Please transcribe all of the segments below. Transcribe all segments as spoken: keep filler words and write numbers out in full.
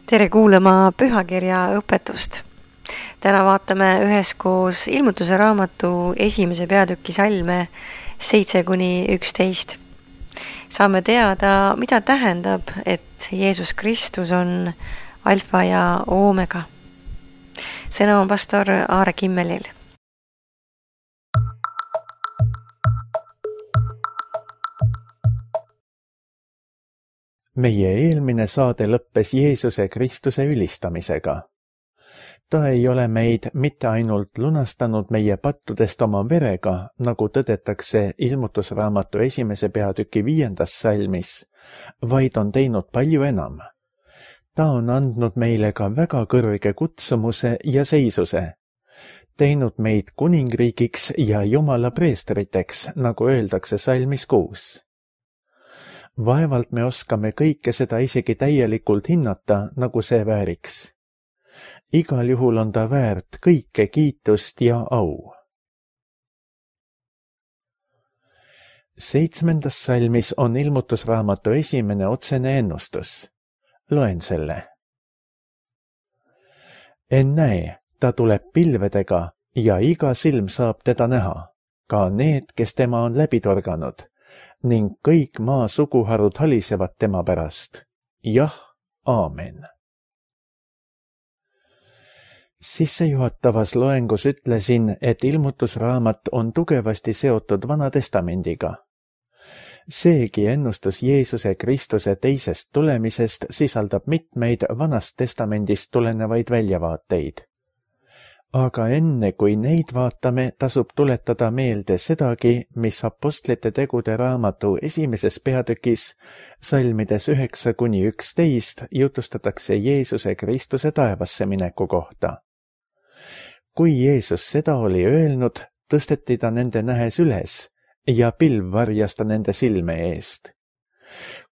Tere kuulama pühakirja õpetust. Täna vaatame üheskoos ilmutuse raamatu esimese peatüki salme seitse kuni üksteist. Saame teada, mida tähendab, et Jeesus Kristus on alfa ja oomega. Sõna on pastor Aare Kimmelil. Meie eelmine saade lõppes Jeesuse Kristuse ülistamisega. Ta ei ole meid mitte ainult lunastanud meie pattudest oma verega, nagu tõdetakse ilmutusraamatu esimese peatüki viiendas salmis, vaid on teinud palju enam. Ta on andnud meile ka väga kõrge kutsumuse ja seisuse, teinud meid kuningriigiks ja Jumala preestriteks, nagu öeldakse salmis kuus. Vaevalt me oskame kõike seda isegi täielikult hinnata, nagu see vääriks. Igal juhul on ta väärt kõike kiitust ja au. Seitsmendas salmis on ilmutusraamatu esimene otsene ennustus. Loen selle. Ennäe, ta tuleb pilvedega ja iga silm saab teda näha, ka need, kes tema on läbi torganud, ning kõik maa suguharud halisevad tema pärast. Jah, aamen. Sissejuhatavas loengus ütlesin, et ilmutusraamat on tugevasti seotud Vana Testamendiga. Seegi ennustus Jeesuse Kristuse teisest tulemisest sisaldab mitmeid Vanast Testamendist tulenevaid väljavaateid. Aga enne kui neid vaatame, tasub tuletada meelde sedagi, mis apostlite tegude raamatu esimeses peatükis, salmides üheksa kuni üksteist, jutustatakse Jeesuse Kristuse taevasse mineku kohta. Kui Jeesus seda oli öelnud, tõsteti ta nende nähes üles ja pilv varjas ta nende silme eest.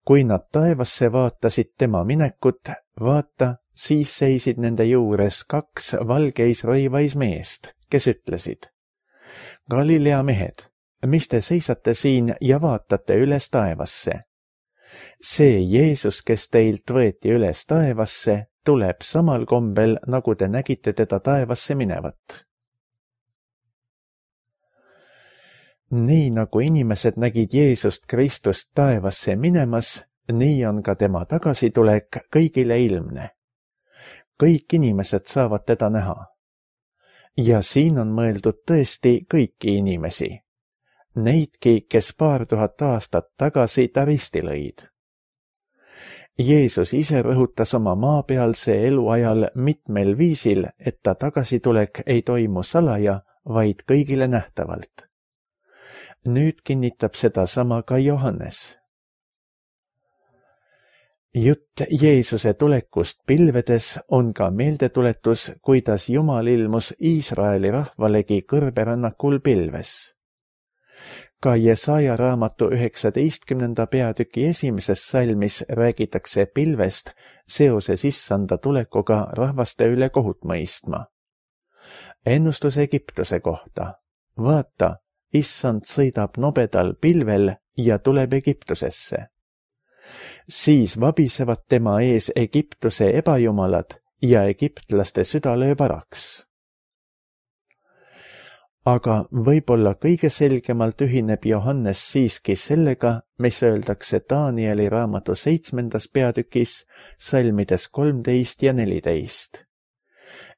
Kui nad taevasse vaatasid tema minekut, vaata, siis seisid nende juures kaks valgeis rõivais meest, kes ütlesid: Galilea mehed, mis te seisate siin ja vaatate üles taevasse? See Jeesus, kes teilt võeti üles taevasse, tuleb samal kombel, nagu te nägite teda taevasse minevat. Nii nagu inimesed nägid Jeesust Kristust taevasse minemas, nii on ka tema tagasitulek kõigile ilmne. Kõik inimesed saavad teda näha. Ja siin on mõeldud tõesti kõiki inimesi. Neidki, kes paar tuhat aastat tagasi ta risti lõid. Jeesus ise rõhutas oma maapealse elu ajal mitmel viisil, et ta tagasitulek ei toimu salaja, vaid kõigile nähtavalt. Nüüd kinnitab seda sama ka Johannes. Jutt Jeesuse tulekust pilvedes on ka meeldetuletus, kuidas Jumal ilmus Iisraeli rahvalegi kõrberännakul pilves. Ka Jesaja raamatu üheksateistkümnenda peatüki esimeses salmis räägitakse pilvest seoses issanda tulekuga rahvaste üle kohut mõistma. Ennustus Egiptuse kohta. Vaata, issand sõidab nobedal pilvel ja tuleb Egiptusesse. Siis vabisevad tema ees Egiptuse ebajumalad ja egiptlaste süda lööb varaks. Aga võib-olla kõige selgemalt ühineb Johannes siiski sellega, mis öeldakse Danieli raamatu seitsmendas peatükis, salmides kolmteist ja neliteist.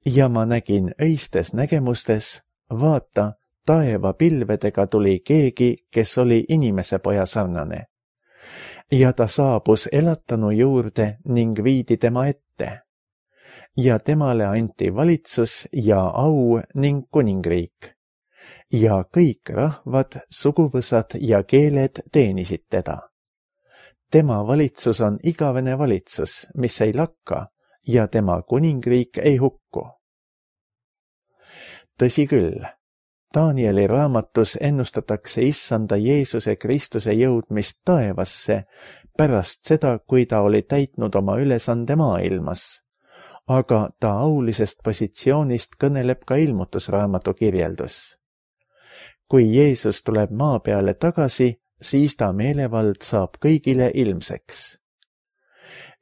Ja ma nägin öistes nägemustes, vaata, taeva pilvedega tuli keegi, kes oli inimese poja sarnane. Ja ta saabus elatanu juurde ning viidi tema ette. Ja temale anti valitsus ja au ning kuningriik. Ja kõik rahvad, suguvõsad ja keeled teenisid teda. Tema valitsus on igavene valitsus, mis ei lakka, ja tema kuningriik ei hukku. Tõsi küll, Danieli raamatus ennustatakse issanda Jeesuse Kristuse jõudmist taevasse pärast seda, kui ta oli täitnud oma ülesande maailmas, aga ta aulisest positsioonist kõneleb ka ilmutusraamatu kirjeldus. Kui Jeesus tuleb maa peale tagasi, siis ta meelevald saab kõigile ilmseks.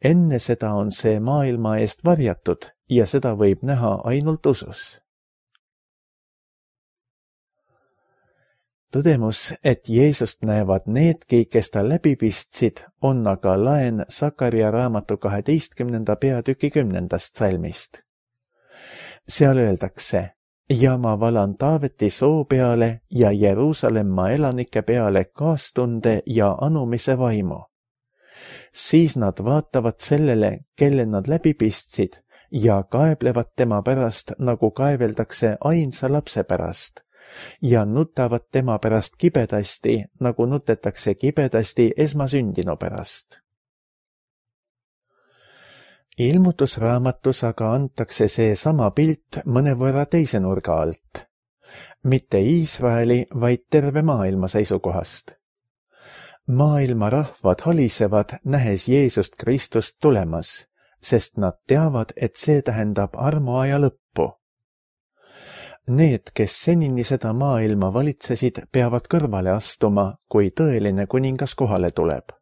enne seda on see maailma eest varjatud ja seda võib näha ainult usus. Tõdemus, et Jeesust näevad needki, kes ta läbi pistsid, on aga laen Sakaria raamatu kaheteistkümnenda peatüki kümnendast salmist. Seal öeldakse, ja ma valan Taaveti soo peale ja Jeruusalemma elanike peale kaastunde ja anumise vaimu. Siis nad vaatavad sellele, kelle nad läbi pistsid ja kaeblevad tema pärast, nagu kaeveldakse ainsa lapse pärast, ja nutavad tema pärast kibedasti, nagu nutetakse kibedasti esmasündinu pärast. Ilmutusraamatus aga antakse see sama pilt mõnevõrra teise nurga alt. Mitte Iisraeli, vaid terve maailma seisukohast. Maailma rahvad halisevad, nähes Jeesust Kristust tulemas, sest nad teavad, et see tähendab armuaja lõppu. Need, kes senini seda maailma valitsesid, peavad kõrvale astuma, kui tõeline kuningas kohale tuleb.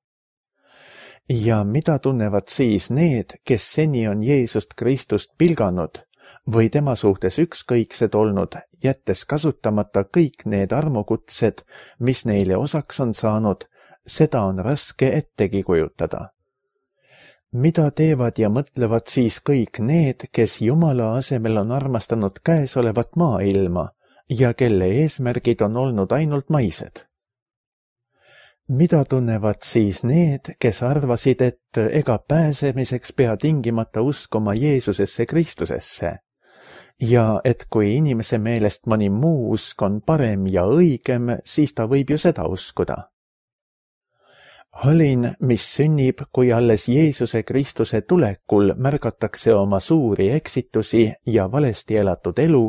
Ja mida tunnevad siis need, kes seni on Jeesust Kristust pilganud või tema suhtes ükskõiksed olnud, jättes kasutamata kõik need armukutsed, mis neile osaks on saanud, seda on raske ettegi kujutada. Mida teevad ja mõtlevad siis kõik need, kes Jumala asemel on armastanud käesolevat maailma ja kelle eesmärgid on olnud ainult maised? Mida tunnevad siis need, kes arvasid, et ega pääsemiseks pea tingimata uskuma Jeesusesse Kristusesse ja et kui inimese meelest mõni muu usk on parem ja õigem, siis ta võib ju seda uskuda? Halin, mis sünnib, kui alles Jeesuse Kristuse tulekul märgatakse oma suuri eksitusi ja valesti elatud elu,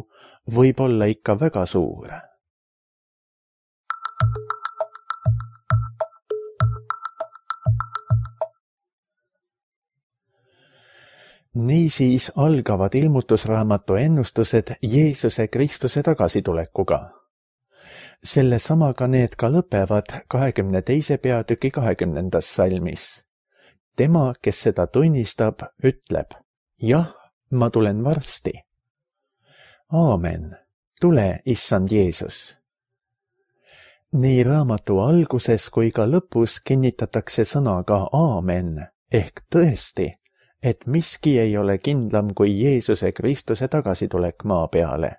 võib olla ikka väga suur. Niisiis algavad ilmutusraamatu ennustused Jeesuse Kristuse tagasitulekuga. Selle samaga need ka lõpevad kahekümne teise peatüki kahekümnendas salmis. Tema, kes seda tunnistab, ütleb, jah, ma tulen varsti. Aamen, tule, issand Jeesus. Nii raamatu alguses kui ka lõpus kinnitatakse sõnaga aamen, ehk tõesti, et miski ei ole kindlam kui Jeesuse Kristuse tagasitulek maa peale.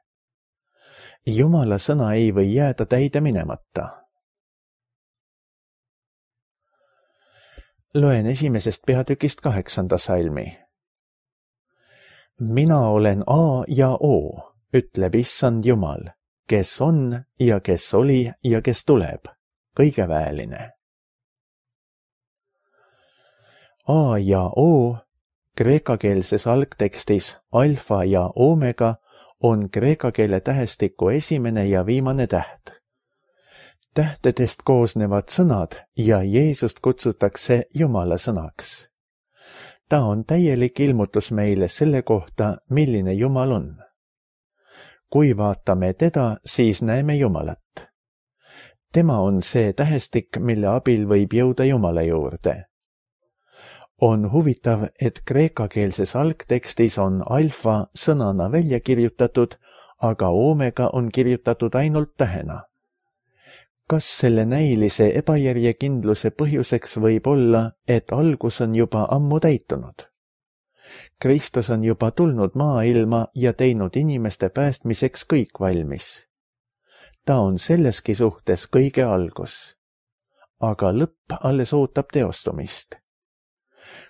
Jumala sõna ei või jääda täide minemata. Loen esimesest peatükist kaheksanda salmi. Mina olen A ja O, ütleb issand Jumal, kes on ja kes oli ja kes tuleb, kõigeväeline. A ja O, kreekakeelses algtekstis alfa ja omega, on kreeka keele tähestiku esimene ja viimane täht. Tähtedest koosnevad sõnad ja Jeesust kutsutakse Jumala sõnaks. Ta on täielik ilmutus meile selle kohta, milline Jumal on. Kui vaatame teda, siis näeme Jumalat. Tema on see tähestik, mille abil võib jõuda Jumala juurde. On huvitav, et kreekakeelses algtekstis on alfa sõnana välja kirjutatud, aga omega on kirjutatud ainult tähena. Kas selle näilise ebajärjekindluse põhjuseks võib olla, et algus on juba ammu täitunud? Kristus on juba tulnud maailma ja teinud inimeste päästmiseks kõik valmis. Ta on selleski suhtes kõige algus. Aga lõpp alles ootab teostumist.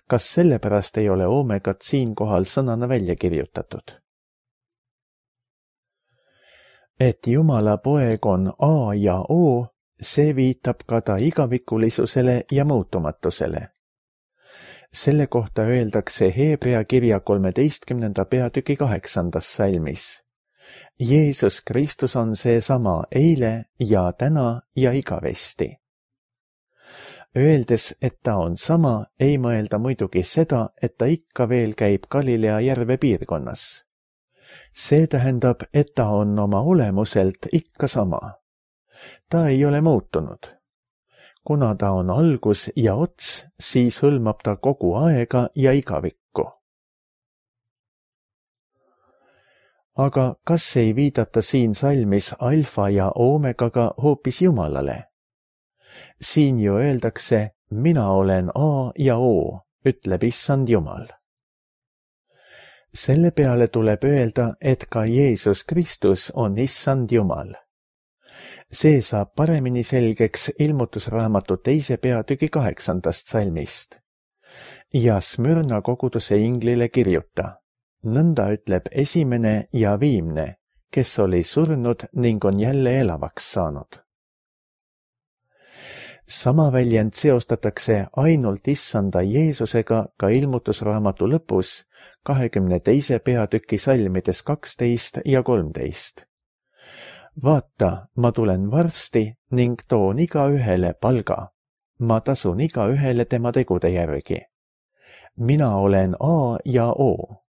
Kas sellepärast ei ole omegat siinkohal sõnana välja kirjutatud? Et Jumala poeg on A ja O, see viitab ka ta igavikulisusele ja muutumatusele. Selle kohta öeldakse Heebrea kirja kolmeteistkümnenda peatüki kaheksandas salmis. Jeesus Kristus on seesama eile ja täna ja igavesti. Öeldes, et ta on sama, ei mõelda muidugi seda, et ta ikka veel käib Galilea järve piirkonnas. See tähendab, et ta on oma olemuselt ikka sama. Ta ei ole muutunud. kuna ta on algus ja ots, siis hõlmab ta kogu aega ja igavikku. Aga kas ei viidata siin salmis alfa ja oomegaga hoopis Jumalale? Siin ju öeldakse, mina olen A ja O, ütleb issand Jumal. Selle peale tuleb öelda, et ka Jeesus Kristus on issand Jumal. See saab paremini selgeks ilmutusraamatu teise peatüki kaheksandast salmist. Ja Smyrna koguduse inglile kirjuta, nõnda ütleb esimene ja viimne, kes oli surnud ning on jälle elavaks saanud. Sama väljend seostatakse ainult issanda Jeesusega ka ilmutusraamatu lõpus kahekümne teise peatüki salmides kaksteist ja kolmteist. Vaata, ma tulen varsti ning toon iga ühele palga. Ma tasun iga ühele tema tegude järgi. Mina olen A ja O,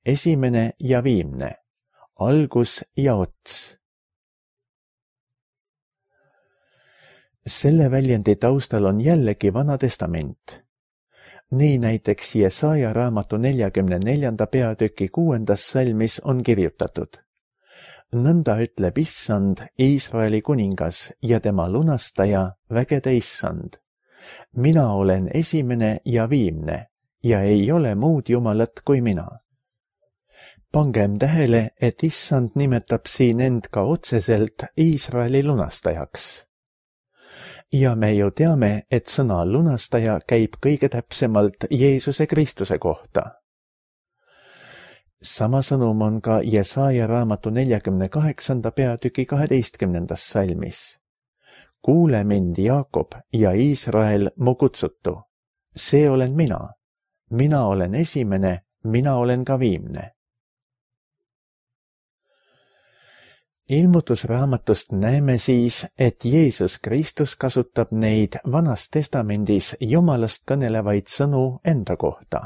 esimene ja viimne, algus ja ots. Selle väljendi taustal on jällegi Vana Testament. Nii näiteks Jesaja raamatu neljakümne neljanda peatüki kuuendas salmis on kirjutatud. Nõnda ütleb issand, Iisraeli kuningas ja tema lunastaja, vägede issand. Mina olen esimene ja viimne ja ei ole muud jumalat kui mina. Pangem tähele, et issand nimetab siin end ka otseselt Iisraeli lunastajaks. Ja me ju teame, et sõna lunastaja käib kõige täpsemalt Jeesuse Kristuse kohta. Sama sõnum on ka Jesaja raamatu neljakümne kaheksanda peatüki kaheteistkümnendas salmis. Kuule mind, Jaakob ja Iisrael, mu kutsutu. See olen mina. Mina olen esimene, mina olen ka viimne. Ilmutusraamatust näeme siis, et Jeesus Kristus kasutab neid Vanas Testamendis Jumalast kõnelevaid sõnu enda kohta.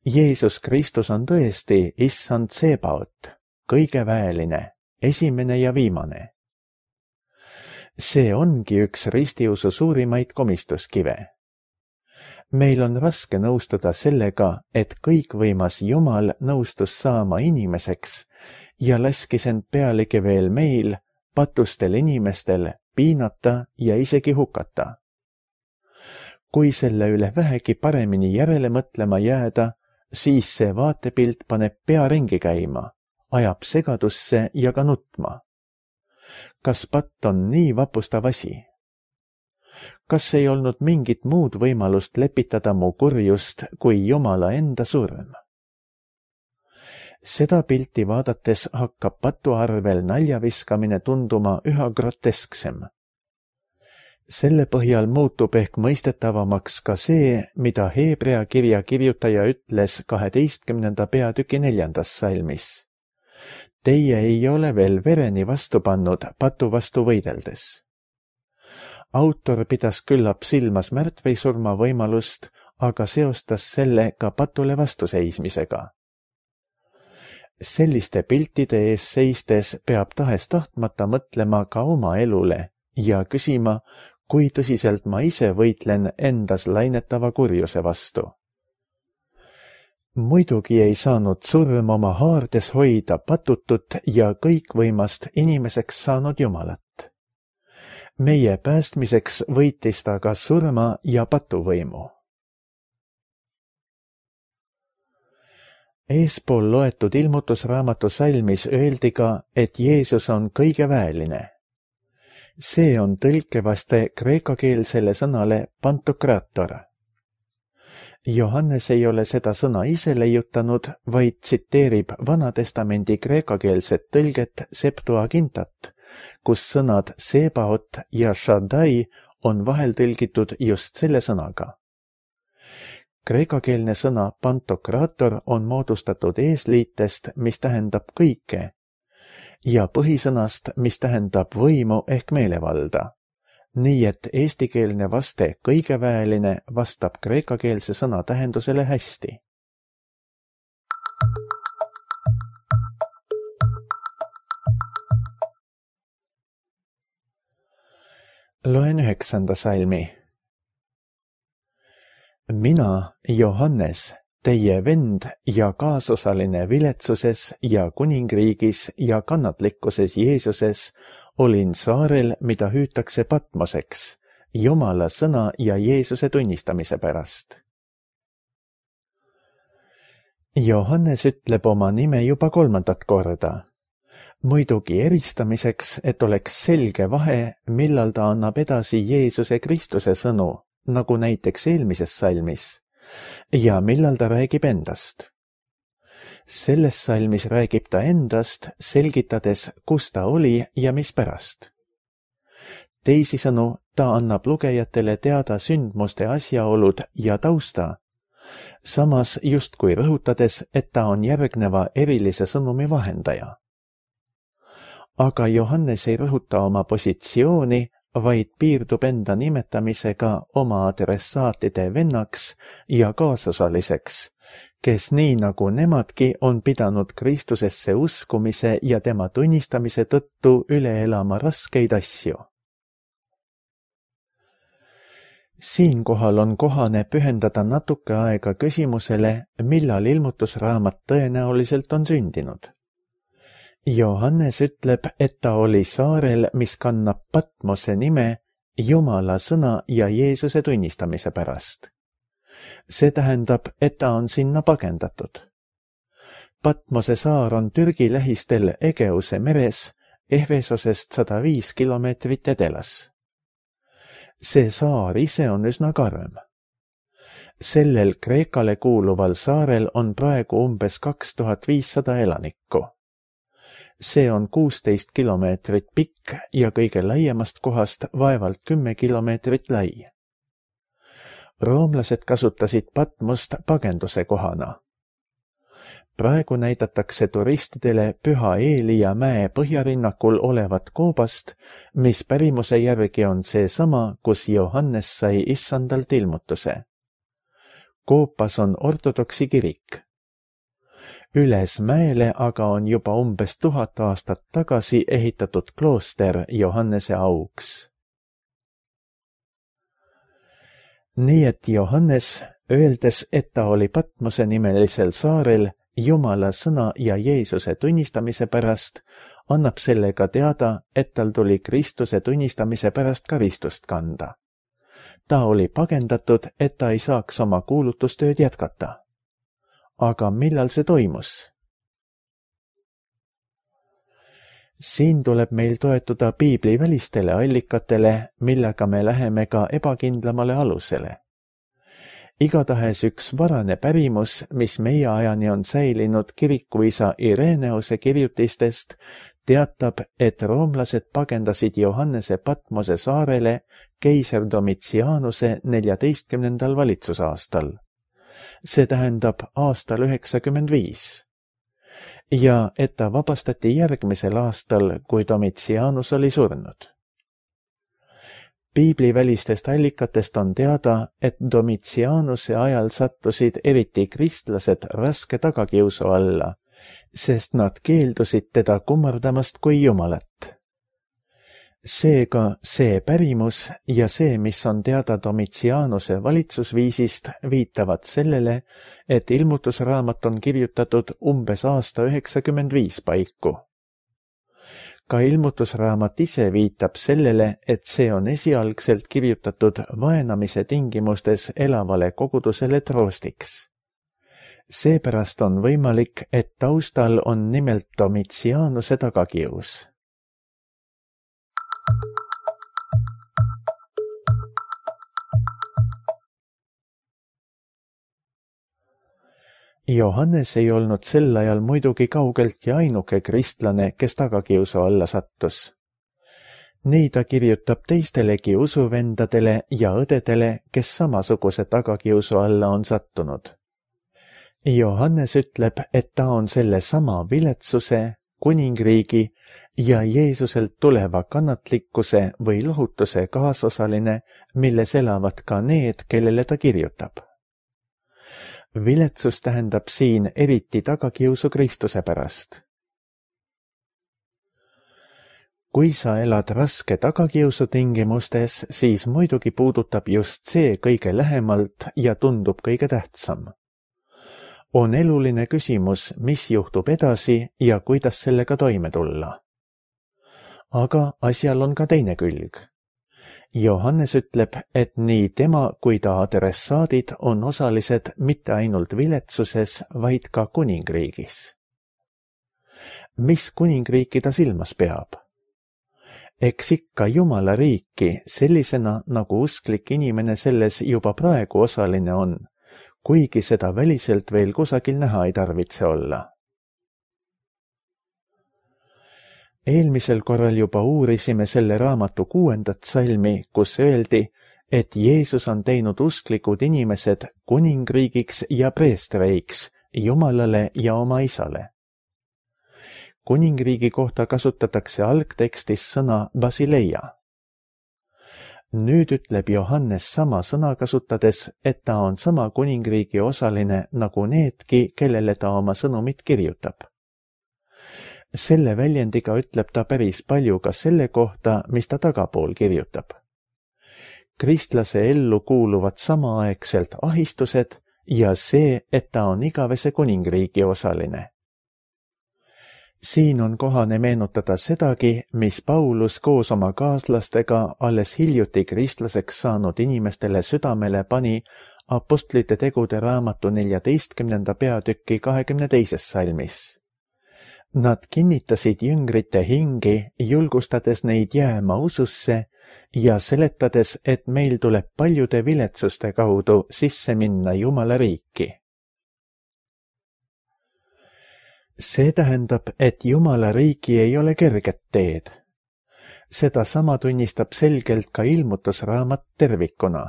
Jeesus Kristus on tõesti issand Sebaot, kõige väeline, esimene ja viimane. See ongi üks ristiusu suurimaid komistuskive. Meil on raske nõustuda sellega, et kõikvõimas Jumal nõustus saama inimeseks ja laskis end pealegi veel meil, patustel inimestel, piinata ja isegi hukata. Kui selle üle vähegi paremini järele mõtlema jääda, siis see vaatepilt paneb pea ringi käima, ajab segadusse ja ka nutma. Kas patt on nii vapustav asi? Kas ei olnud mingit muud võimalust lepitada mu kurjust kui Jumala enda surm? Seda pilti vaadates hakkab patu arvel naljaviskamine tunduma üha grotesksem. Selle põhjal muutub ehk mõistetavamaks ka see, mida Heebrea kirja kirjutaja ütles kaheteistkümnenda peatüki neljandas salmis. Teie ei ole veel vereni vastu pannud patu vastu võideldes. Autor pidas küllap silmas märtvisurma võimalust, aga seostas selle ka patule vastuseismisega. Selliste piltide ees seistes peab tahes tahtmata mõtlema ka oma elule ja küsima, kui tõsiselt ma ise võitlen endas lainetava kurjuse vastu. Muidugi ei saanud surm oma haardes hoida patutut ja kõikvõimast inimeseks saanud Jumalat. Meie päästmiseks võitis ta ka surma ja patuvõimu. Eespool loetud ilmutusraamatu salmis öeldi ka, et Jeesus on kõige väeline. See on tõlkevaste kreekakeelsele sõnale pantokrator. Johannes ei ole seda sõna ise leiutanud, vaid tsiteerib Vana Testamendi kreekakeelset tõlget Septuagintat, kus sõnad Sebaot ja Shaddai on vahel tõlgitud just selle sõnaga. Kreekakeelne sõna pantokrator on moodustatud eesliitest, mis tähendab kõike, ja põhisõnast, mis tähendab võimu ehk meelevalda. Nii et eestikeelne vaste kõige väeline vastab kreekakeelse sõna tähendusele hästi. Loen üheksanda salmi. Mina, Johannes, teie vend ja kaasosaline viletsuses ja kuningriigis ja kannatlikkuses Jeesuses, olin saarel, mida hüütakse Patmoseks, Jumala sõna ja Jeesuse tunnistamise pärast. Johannes ütleb oma nime juba kolmandat korda. Muidugi eristamiseks, et oleks selge vahe, millal ta annab edasi Jeesuse Kristuse sõnu, nagu näiteks eelmises salmis, ja millal ta räägib endast. Selles salmis räägib ta endast, selgitades, kus ta oli ja mispärast. Teisisõnu, ta annab lugejatele teada sündmuste asjaolud ja tausta, samas justkui rõhutades, et ta on järgneva erilise sõnumi vahendaja. Aga Johannes ei rõhuta oma positsiooni, vaid piirdub enda nimetamisega oma adressaatide vennaks ja kaasosaliseks, kes nii nagu nemadki on pidanud Kristusesse uskumise ja tema tunnistamise tõttu üle elama raskeid asju. Siinkohal on kohane pühendada natuke aega küsimusele, millal ilmutusraamat tõenäoliselt on sündinud. Johannes ütleb, et ta oli saarel, mis kannab Patmose nime Jumala sõna ja Jeesuse tunnistamise pärast. See tähendab, et ta on sinna pagendatud. Patmose saar on Türgi lähistel Egeuse meres, Efesosest sada viis kilomeetrit edelas. See saar ise on üsna karm. Sellel Kreekale kuuluval saarel on praegu umbes kaks tuhat viissada elanikku. See on kuusteist kilomeetrit pikk ja kõige laiemast kohast vaevalt kümme kilomeetrit lai. Roomlased kasutasid Patmost pagenduse kohana. Praegu näidatakse turistidele Püha Eelia mäe põhjarinnakul olevat koobast, mis pärimuse järgi on seesama, kus Johannes sai issandalt ilmutuse. Koopas on ortodoksi kirik. Üles mäele aga on juba umbes tuhat aastat tagasi ehitatud klooster Johannese auks. Nii et Johannes, öeldes, et ta oli Patmose nimelisel saarel Jumala sõna ja Jeesuse tunnistamise pärast, annab sellega teada, et tal tuli Kristuse tunnistamise pärast karistust kanda. Ta oli pagendatud, et ta ei saaks oma kuulutustööd jätkata. Aga millal see toimus? Siin tuleb meil toetuda piibli välistele allikatele, millega me läheme ka ebakindlamale alusele. Igatahes üks varane pärimus, mis meie ajani on säilinud kirikuisa Ireneuse kirjutistest, teatab, et roomlased pagendasid Johannese Patmose saarele keiser Domitianuse neljateistkümnendal valitsusaastal. See tähendab aastal üheksakümmend viis. Ja et ta vabastati järgmisel aastal, kui Domitianus oli surnud. Piiblivälistest allikatest on teada, et Domitianuse ajal sattusid eriti kristlased raske tagakiusu alla, sest nad keeldusid teda kummardamast kui Jumalat. Seega see pärimus ja see, mis on teada Domitianuse valitsusviisist, viitavad sellele, et ilmutusraamat on kirjutatud umbes aasta üheksakümmend viis paiku. Ka ilmutusraamat ise viitab sellele, et see on esialgselt kirjutatud vaenamise tingimustes elavale kogudusele troostiks. Seepärast on võimalik, et taustal on nimelt Domitianuse tagakius. Johannes ei olnud sel ajal muidugi kaugeltki ainuke kristlane, kes tagakiusu alla sattus. Nii ta kirjutab teistelegi usuvendadele ja õdedele, kes samasuguse tagakiusu alla on sattunud. Johannes ütleb, et ta on selle sama viletsuse, kuningriigi ja Jeesuselt tuleva kannatlikkuse või lohutuse kaasosaline, milles elavad ka need, kellele ta kirjutab. Viletsus tähendab siin eriti tagakiusu Kristuse pärast. kui sa elad raske tagakiusu tingimustes, siis muidugi puudutab just see kõige lähemalt ja tundub kõige tähtsam. On eluline küsimus, mis juhtub edasi ja kuidas sellega toime tulla. Aga asjal on ka teine külg. Johannes ütleb, et nii tema kui ta adressaadid on osalised mitte ainult viletsuses, vaid ka kuningriigis. Mis kuningriiki ta silmas peab? Eks ikka Jumala riiki sellisena, nagu usklik inimene selles juba praegu osaline on, kuigi seda väliselt veel kusagil näha ei tarvitse olla. Eelmisel korral juba uurisime selle raamatu kuuendat salmi, kus öeldi, et Jeesus on teinud usklikud inimesed kuningriigiks ja preestreiks Jumalale ja oma isale. Kuningriigi kohta kasutatakse algtekstis sõna basileia. Nüüd ütleb Johannes sama sõna kasutades, et ta on sama kuningriigi osaline nagu needki, kellele ta oma sõnumit kirjutab. Selle väljendiga ütleb ta päris palju ka selle kohta, mis ta tagapool kirjutab. Kristlase ellu kuuluvad samaaegselt ahistused ja see, et ta on igavese kuningriigi osaline. Siin on kohane meenutada sedagi, mis Paulus koos oma kaaslastega alles hiljuti kristlaseks saanud inimestele südamele pani Apostlite tegude raamatu neljateistkümnenda peatüki kahekümne teises salmis. Nad kinnitasid jüngrite hingi, julgustades neid jääma ususse ja seletades, et meil tuleb paljude viletsuste kaudu sisse minna Jumala riiki. See tähendab, et Jumala riigi ei ole kerget teed. Seda sama tunnistab selgelt ka ilmutusraamat tervikuna.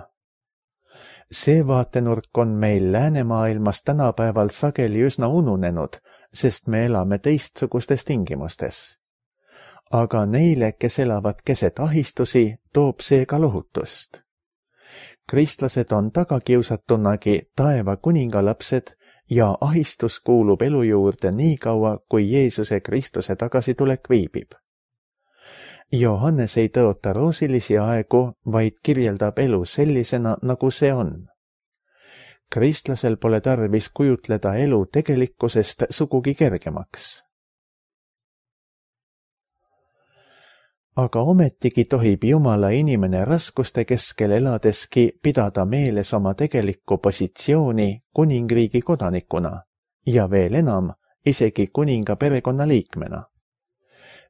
See vaatenurk on meil läänemaailmas tänapäeval sageli üsna ununenud, sest me elame teistsugustes tingimustes. Aga neile, kes elavad keset ahistusi, toob see ka lohutust. Kristlased on tagakiusatunagi taeva kuningalapsed ja ahistus kuulub elu juurde nii kaua, kui Jeesuse Kristuse tagasitulek viibib. Johannes ei tõota roosilisi aegu, vaid kirjeldab elu sellisena, nagu see on. Kristlasel pole tarvis kujutleda elu tegelikkusest sugugi kergemaks. Aga ometigi tohib Jumala inimene raskuste keskel eladeski pidada meeles oma tegelikku positsiooni kuningriigi kodanikuna ja veel enam isegi kuninga perekonna liikmena.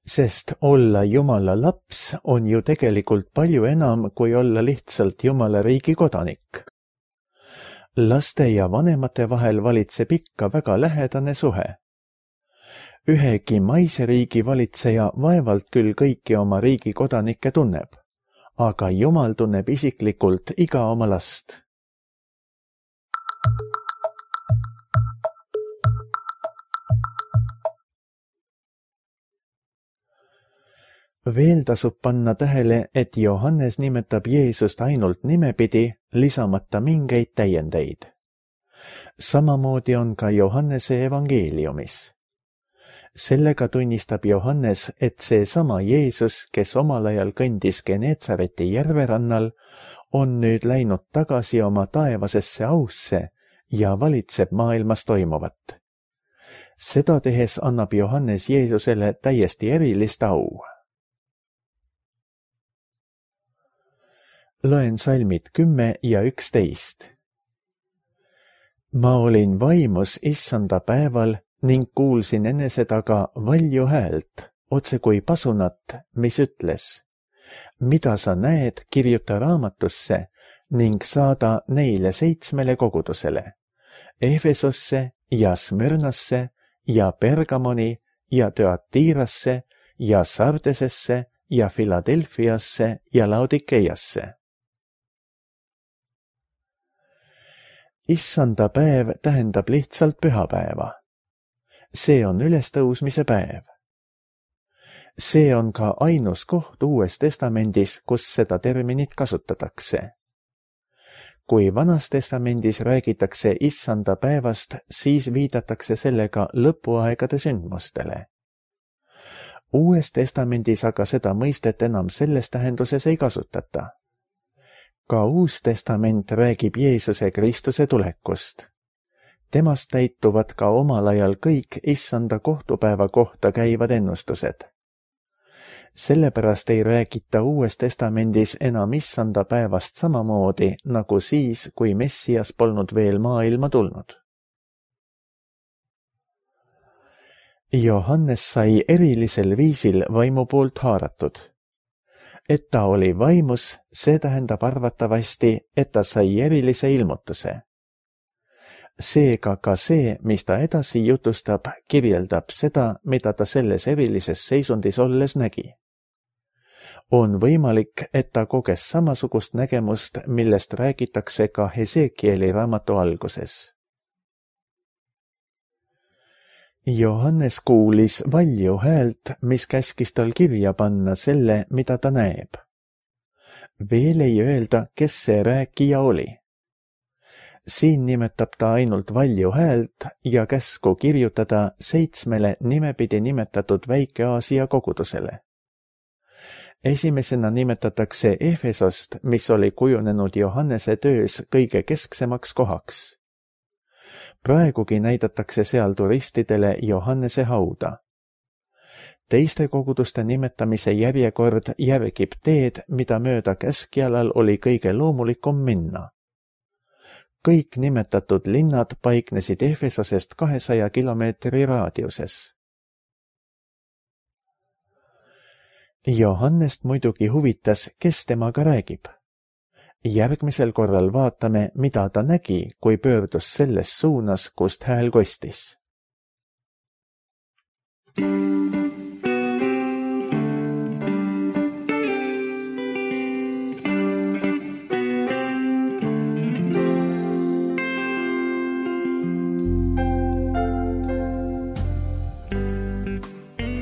Sest olla Jumala laps on ju tegelikult palju enam kui olla lihtsalt Jumala riigi kodanik. Laste ja vanemate vahel valitseb ikka väga lähedane suhe. Ühegi maise riigi valitseja vaevalt küll kõiki oma riigi kodanikke tunneb, aga Jumal tunneb isiklikult iga oma last. Veel tasub panna tähele, et Johannes nimetab Jeesust ainult nimepidi, lisamata mingeid täiendeid. Samamoodi on ka Johannese evangeeliumis. Sellega tunnistab Johannes, et see sama Jeesus, kes omal ajal kõndis Geneetsareti järverannal, on nüüd läinud tagasi oma taevasesse ausse ja valitseb maailmas toimuvat. Seda tehes annab Johannes Jeesusele täiesti erilist au. Loen salmid kümme ja üksteist. Ma olin vaimus issanda päeval ning kuulsin enese taga valju häält, otse kui pasunat, mis ütles: mida sa näed, kirjuta raamatusse ning saada neile seitsmele kogudusele, Efesosse ja Smyrnasse ja Pergamoni ja Thyatirasse ja Sardesesse ja Filadelfiasse ja Laodikeiasse. Issanda päev tähendab lihtsalt pühapäeva. See on ülestõusmise päev. See on ka ainus koht Uues Testamendis, kus seda terminit kasutatakse. Kui Vanas Testamendis räägitakse issanda päevast, siis viidatakse sellega lõpuaegade sündmustele. Uues testamendis aga seda mõistet enam selles tähenduses ei kasutata. Ka Uus Testament räägib Jeesuse Kristuse tulekust. Temast täituvad ka omal ajal kõik issanda kohtupäeva kohta käivad ennustused. Sellepärast ei räägita Uues Testamendis enam issanda päevast samamoodi nagu siis, kui Messias polnud veel maailma tulnud. Johannes sai erilisel viisil vaimu poolt haaratud. Et ta oli vaimus, see tähendab arvatavasti, et ta sai erilise ilmutuse. Seega ka see, mis ta edasi jutustab, kirjeldab seda, mida ta selles erilises seisundis olles nägi. On võimalik, et ta koges samasugust nägemust, millest räägitakse ka Hesekieli raamatu alguses. Johannes kuulis valju häält, mis käskis tal kirja panna selle, mida ta näeb. Veel ei öelda, kes see rääkija oli. Siin nimetab ta ainult valju häält ja käsku kirjutada seitsmele nimepidi nimetatud Väike-Aasia kogudusele. Esimesena nimetatakse Efesost, mis oli kujunenud Johannese töös kõige kesksemaks kohaks. Praegugi näidatakse seal turistidele Johannese hauda. Teiste koguduste nimetamise järjekord järgib teed, mida mööda keskjalal oli kõige loomulikum minna. Kõik nimetatud linnad paiknesid Efesosest kahesaja kilomeetri raadiuses. Johannest muidugi huvitas, kes temaga räägib. Järgmisel korral vaatame, mida ta nägi, kui pöördus selles suunas, kust hääl kostis.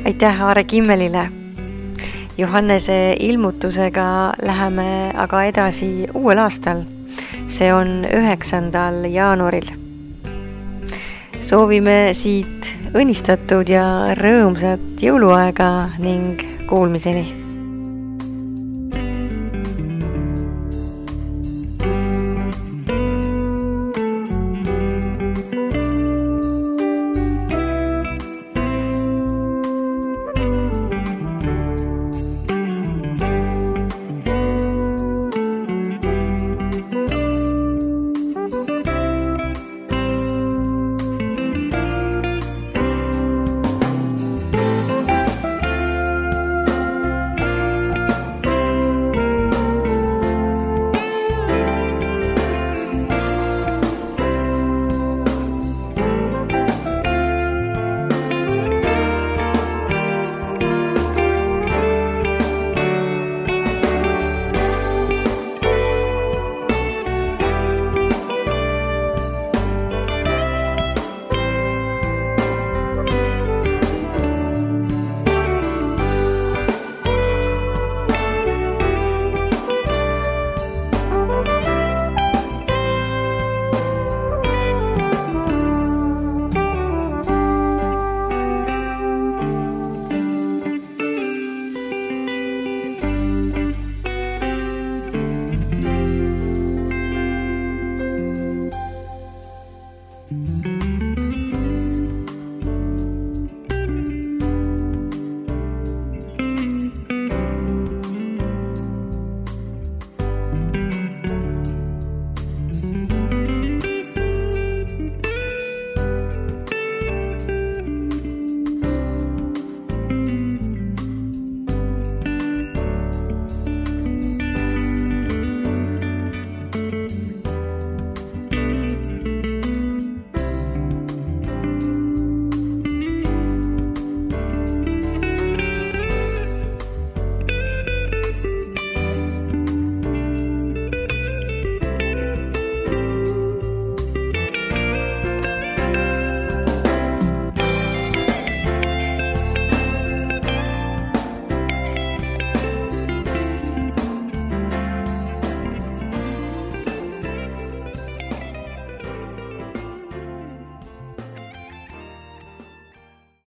Aitäh Aare Kimmelile! Johannese ilmutusega läheme aga edasi uuel aastal. See on üheksandal jaanuaril. Soovime siit õnnistatud ja rõõmsat jõuluaega ning kuulmiseni!